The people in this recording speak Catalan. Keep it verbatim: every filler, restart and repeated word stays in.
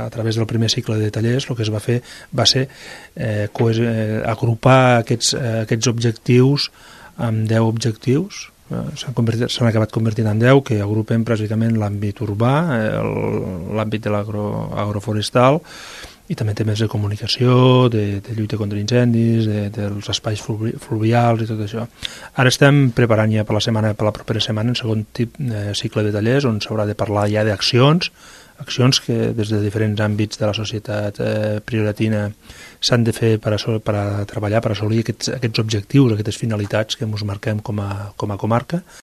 a través del primer cicle de tallers, el que es va fer va ser eh, coes, eh, agrupar aquests, eh, aquests objectius amb deu objectius. S'han acabat convertint en deu, que agrupen bàsicament l'àmbit urbà, l'àmbit de l'agroforestal, i també temes de comunicació, de, de lluita contra incendis, de, dels espais fluvials i tot això. Ara estem preparant ja per la setmana, per la propera setmana, un segon tip de cicle de tallers on s'haurà de parlar ja d'accions, accions que des de diferents àmbits de la societat eh, prioratina s'han de fer per a, per a treballar, per assolir aquests, aquests objectius, aquestes finalitats que ens marquem com a, com a comarca.